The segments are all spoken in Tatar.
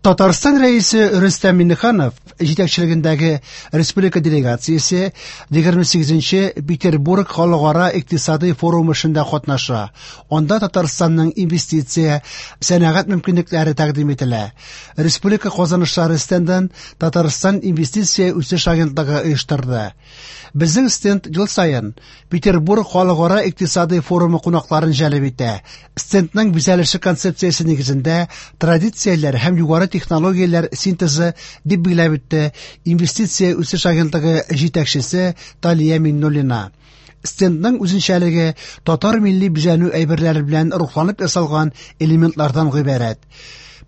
Татарстан Рәисе Рөстәм Миңнеханов җитәкчелегендәге республика делегациясе 28-нче Петербург халыкара икътисадый форумы эшендә катнаша. Анда Татарстанның инвестиция, сәнәгать мөмкинлекләре тәкъдим ителә. Республика казанышлары стендын Татарстан инвестиция үсеш агентлыгы оештырды. Безнең стенд ел саен Петербург халыкара икътисадый форумы кунакларын җәлеп итә. Стендның бизәлеше концепциясе нигезендә традицияләр һәм югары технологияләр синтезы, дип билгеләп үтте Инвестиция үсеш агентлыгы җитәкчесе Талия Миңнуллина. Стендның үзенчәлеге татар милли бизәнү әйберләре белән рухланып ясалган элементлардан гыйбарәт.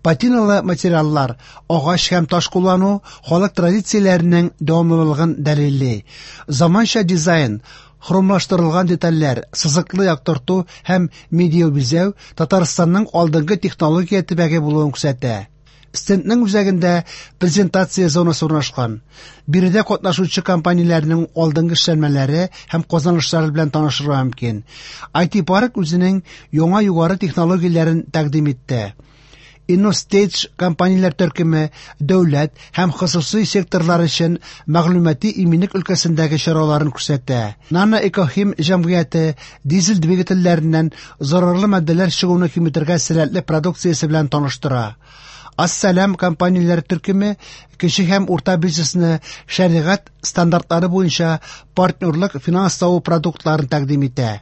Патиналы материаллар, агач һәм таш куллану халык традицияләренең дәвамлылыгын дәлилли. Заманча дизайн, хромлаштырылган детальләр, сызыклы яктырту һәм медиабизәү Татарстанның алдынгы технология төбәге булуын күрсәтә. Стендның үзәгендә презентация зонасы урнашкан. Биредә катнашучы компанияләрнең алдынгы эшләнмәләре һәм казанышлары белән танышырга мөмкин. IT-парк үзенең яңа югары технологияләрен тәкъдим итте. InnoStage компанияләр төркеме дәүләт һәм хосусый секторлар өчен мәгълүмати иминлек өлкәсендәге чараларын күрсәтә. Nano Экохим җәмгыяте дизель двигательләреннән зарарлы матдәләр чыгуны киметергә сәләтле продукциясе белән таныштыра. Ассалам компанияләр төркеме кече һәм урта бизнесны шәригать стандартлары буенча партнерлык финанслау продуктларын тәкъдим итә.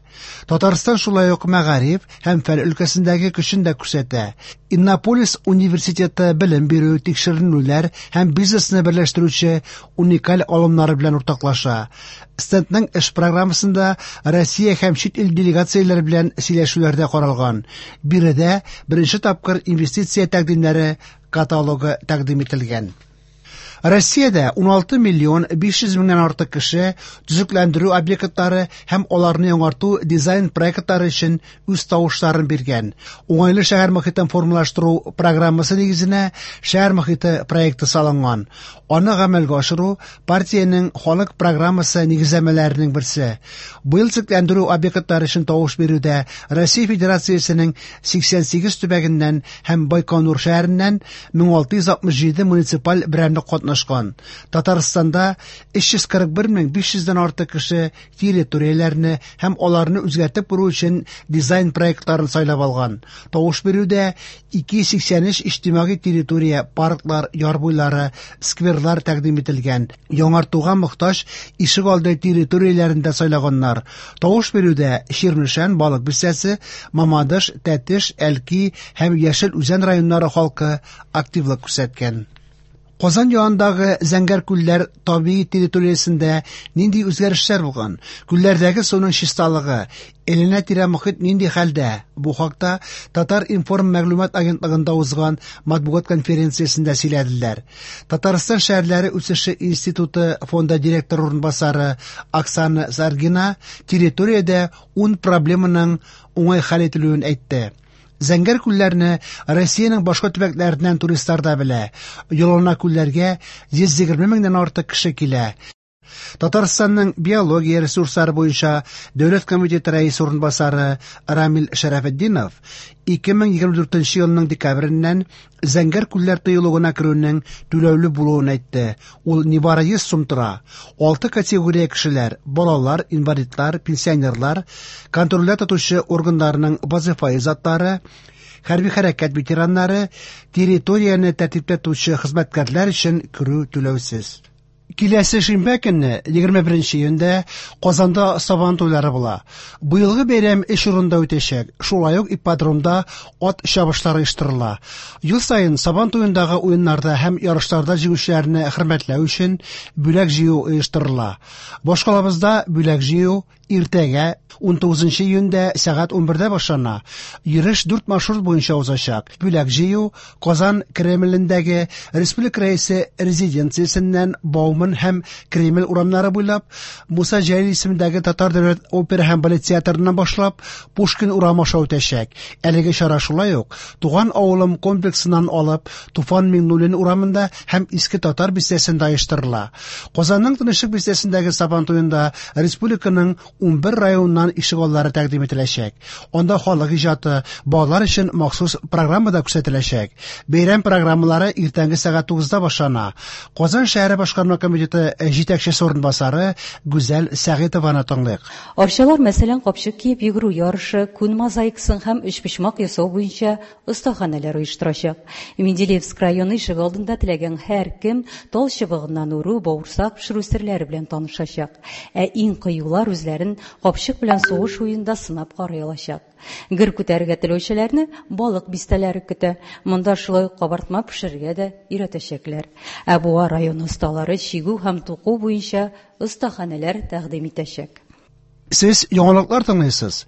Татарстан шулай ук мәгариф һәм фән өлкәсендәге көчен дә күрсәтә. Иннополис университеты белем бирү, тикшеренүләр һәм бизнесны берләштерүче уникаль алымнары белән уртаклаша. Стендның эш программасында Россия һәм чит ил делегацияләре белән сөйләшүләр дә каралган. Биредә беренче тапкыр инвестиция тәкъдимнәре каталогы тәкъдим ителгән. Россиядә 16 миллион 500 меңнән артык кеше төзекләндерү объектлары һәм аларны яңарту дизайн проектлары өчен үз тавышларын биргән. Уңайлы шәһәр мохитен формалаштыру программасы нигезенә шәһәр мохите проекты салынган. Аны гамәлгә ашыру партиянең халык программасы нигезләмәләренең берсе. Быел төзекләндерү объектлары өчен тавыш бирүдә Россия Федерациясенең 88 төбәгеннән һәм Байконур шәһәреннән 1667 муниципаль берәмлек катнашкан. Татарстанда 341 500 дән артык кеше территорияләрне һәм аларны үзгәртеп кору өчен дизайн проектларын сайлап алган. Тавыш бирүдә 283 иҗтимагый территория, парклар, яр буйлары, скверлар тәкъдим ителгән. Яңартуга мохтаҗ ишегалды территорияләрен дә сайлаганнар. Тавыш бирүдә Чирмешән, Балык Бистәсе, Мамадыш, Тәтеш, Әлки һәм Яшел Үзән районнары халкы активлык күрсәткән. Казан янындагы Зәңгәр күлләр табигый территориясендә нинди үзгәрешләр булган? Күлләрдәге суның чисталыгы, әйләнә-тирә мохит нинди хәлдә? Бу хакта Татар-информ мәгълүмат агентлыгында узган матбугат конференциясендә сөйләделәр. Татарстан шәһәрләре үсеше институты фонды директоры урынбасары Оксана Саргина территориядә 10 проблеманың уңай хәл ителүен әйтте. Зәңгәр күлләрне Россиянең башка төбәкләреннән туристлар да белә. Елына күлләргә 120 меңнән артык кеше килә. Татарстанның биология ресурслары буенча дәүләт комитеты рәисе урынбасары Рамил Шәрәфетдинов 2024 елның декабреннән Зәңгәр күлләр тыюлыгына керүнең түләүле булуын әйтте. Ул нибары 100 сум тора. 6 категория кешеләр – балалар, инвалидлар, пенсионерлар, контрольдә тотучы органнарның вазифаи затлары, хәрби хәрәкәт ветераннары, территорияне тәртиптә тотучы хезмәткәрләр өчен керү түләүсез. Киләсе шимбә көнне, 21 июньдә, Казанда Сабан туйлары була. Быелгы бәйрәм өч урында үтәчәк. Шулай ук ипподромда ат чабышлары оештырыла. Ел саен Сабан туендагы уеннарда һәм ярышларда җиңүчеләрне хөрмәтләү өчен бүләк җыю оештырыла. Башкалабызда бүләк җыю иртәгә 19 июньдә сәгать 11дә башлана. Йөреш 4 маршрут буенча узачак. Бүләк җыю Казан Кремлендәге Республика Рәисе резиденциясеннән Бауман Бауман һәм Кремль урамнары буйлап, Муса Җәлил исемендәге Татар дәүләт опера һәм балет театрыннан башлап, Пушкин урамы аша үтәчәк. Әлеге чара шулай ук Туган авылым комплексыннан алып Туфан Миңнуллин урамында һәм Иске Татар бистәсендә оештырыла. Казанның Тынычлык бистәсендәге Сабантуенда республиканың 11 районыннан ишегаллары тәкъдим ителәчәк. Анда халык иҗаты, балалар өчен махсус программа да күрсәтеләчәк. Бәйрәм программалары иртәнге сәгать 9-да башлана. Казан шәһәре башкарма комитеты җитәкчесе урынбасары Гүзәл Сәгыйтованы тыңлыйк. Арчалар, мәсәлән, капчык киеп йөгерү ярышы, күн мозаикасын һәм өчпочмак ясау буенча остаханәләр оештырачак. Менделеевск районы ишегалдында теләгән һәркем тал чыбыгыннан үрү, бавырсак пешерү серләре белән танышачак. Ә иң кыюлар үзләрен капчык белән сугыш уенында сынап карый алачак. Гер күтәрергә теләүчеләрне балык бистәләре көтә. Монда шулай ук кабартма пешерергә дә өйрәтәчәкләр. Ә Буа районы осталары чигү һәм туку буенча остаханәләр тәкъдим итәчәк. Сез яңалыклар тыңлыйсыз.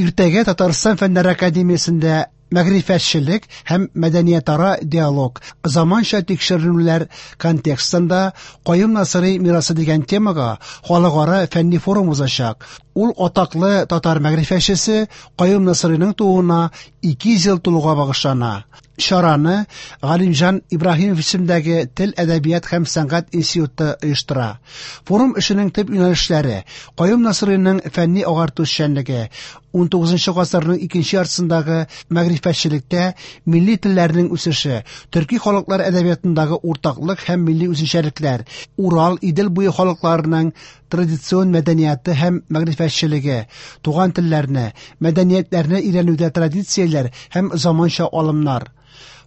Иртәгә Татарстан Фәннәр академиясендә мәгърифәтчелек һәм мәдәниятара диалог, заманча тикшеренүләр контекстында Каюм Насыйри мирасы дигән темага халыкара фәнни форум узачак. Ул атаклы татар мәгърифәтчесе Каюм Насыйриның тууына 200 ел тулуга багышлана. Чараны Галимҗан Ибраһимов исемендәге Тел, әдәбият һәм сәнгать институты оештыра. Форум эшенең төп юнәлешләре: Каюм Насыйриның фәнни агарту эшчәнлеге, 19 гасырның икенче яртысындагы мәгърифәтчелектә милли телләрнең үсеше, төрки халыклар әдәбиятындагы уртаклык һәм милли үзенчәлекләр, Урал, Идел буе халыкларының традицион мәдәнияты һәм мәгърифәтчелеге, туган телләрне, мәдәниятләрне өйрәнүдә традицияләр һәм заманча алымнар.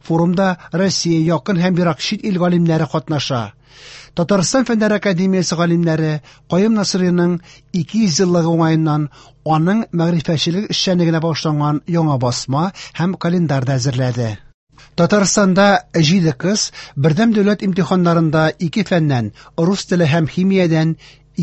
Форумда Россия, якын һәм ерак чит ил галимнәре катнаша. Татарстан Фәннәр академиясе галимнәре Каюм Насыйриның 200 еллыгы уңаеннан аның мәгърифәтчелек эшчәнлегенә багышланган яңа басма һәм календарь да әзерләде. Татарстанда 7 кыз бердәм дәүләт имтиханнарында 2 фәннән рус теле һәм химиядән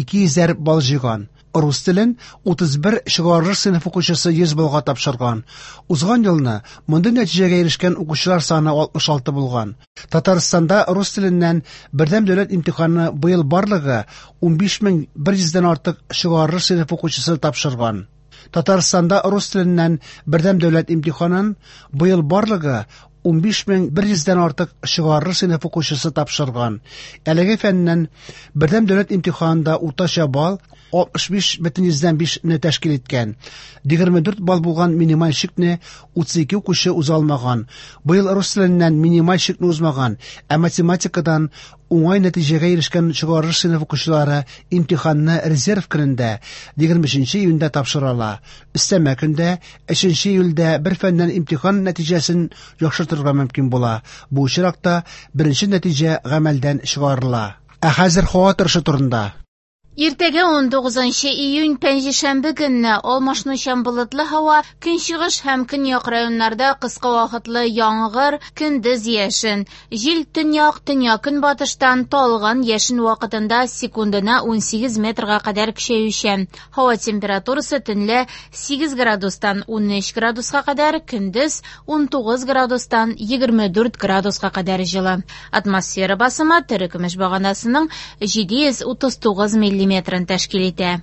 200 балл җыйган. Рус телен 31 чыгарылыш сыйныф укучысы 100 баллга тапшырган. Узган елны мондый нәтиҗәгә ирешкән укучылар саны 66 булган. Татарстанда рус теленнән бердәм дәүләт имтиханы быел барлыгы 15100дән артык чыгарылыш сыйныф укучысы тапшырган. Татарстанда рус теленнән бердәм дәүләт имтиханын быел барлыгы 15100дән артык чыгарылыш сыйныф укучысы тапшырган. Әлеге фәннән бердәм дәүләт имтиханында уртача балл 65,5 не тәшкил иткән. 24 балл булган минималь чикне 32 укучы уза алмаган. Быел рус теленнән минималь чикне узмаган, ә математикадан уңай нәтиҗәгә ирешкән чыгарылыш сыйныф укучылары имтиханны резерв көнендә 23 июньдә тапшыра ала. Өстәмә көндә 3 июльдә бер фәннән имтихан нәтиҗәсен яхшыртырга мөмкин була. Бу очракта беренче нәтиҗә гамәлдән чыгарыла. Ә хәзер һава торышы турында. Иртәгә 19 июнь пәнҗешәмбе көнне алмашынучан болытлы һава, көнчыгыш һәм көньяк районнарда кыска вакытлы яңгыр, көндез яшен. Җил төньяк, төньяк-көнбатыштан талгын яшен вакытында секундына 18 метрга кадәр көчәючән. Һава температурасы төнлә 8 градустан 13 градуска кадәр, көндез 19 градустан 24 градуска кадәр җылы. Атмосфера басымы терекөмеш баганасының 739 миллиметрын тәшкил итә.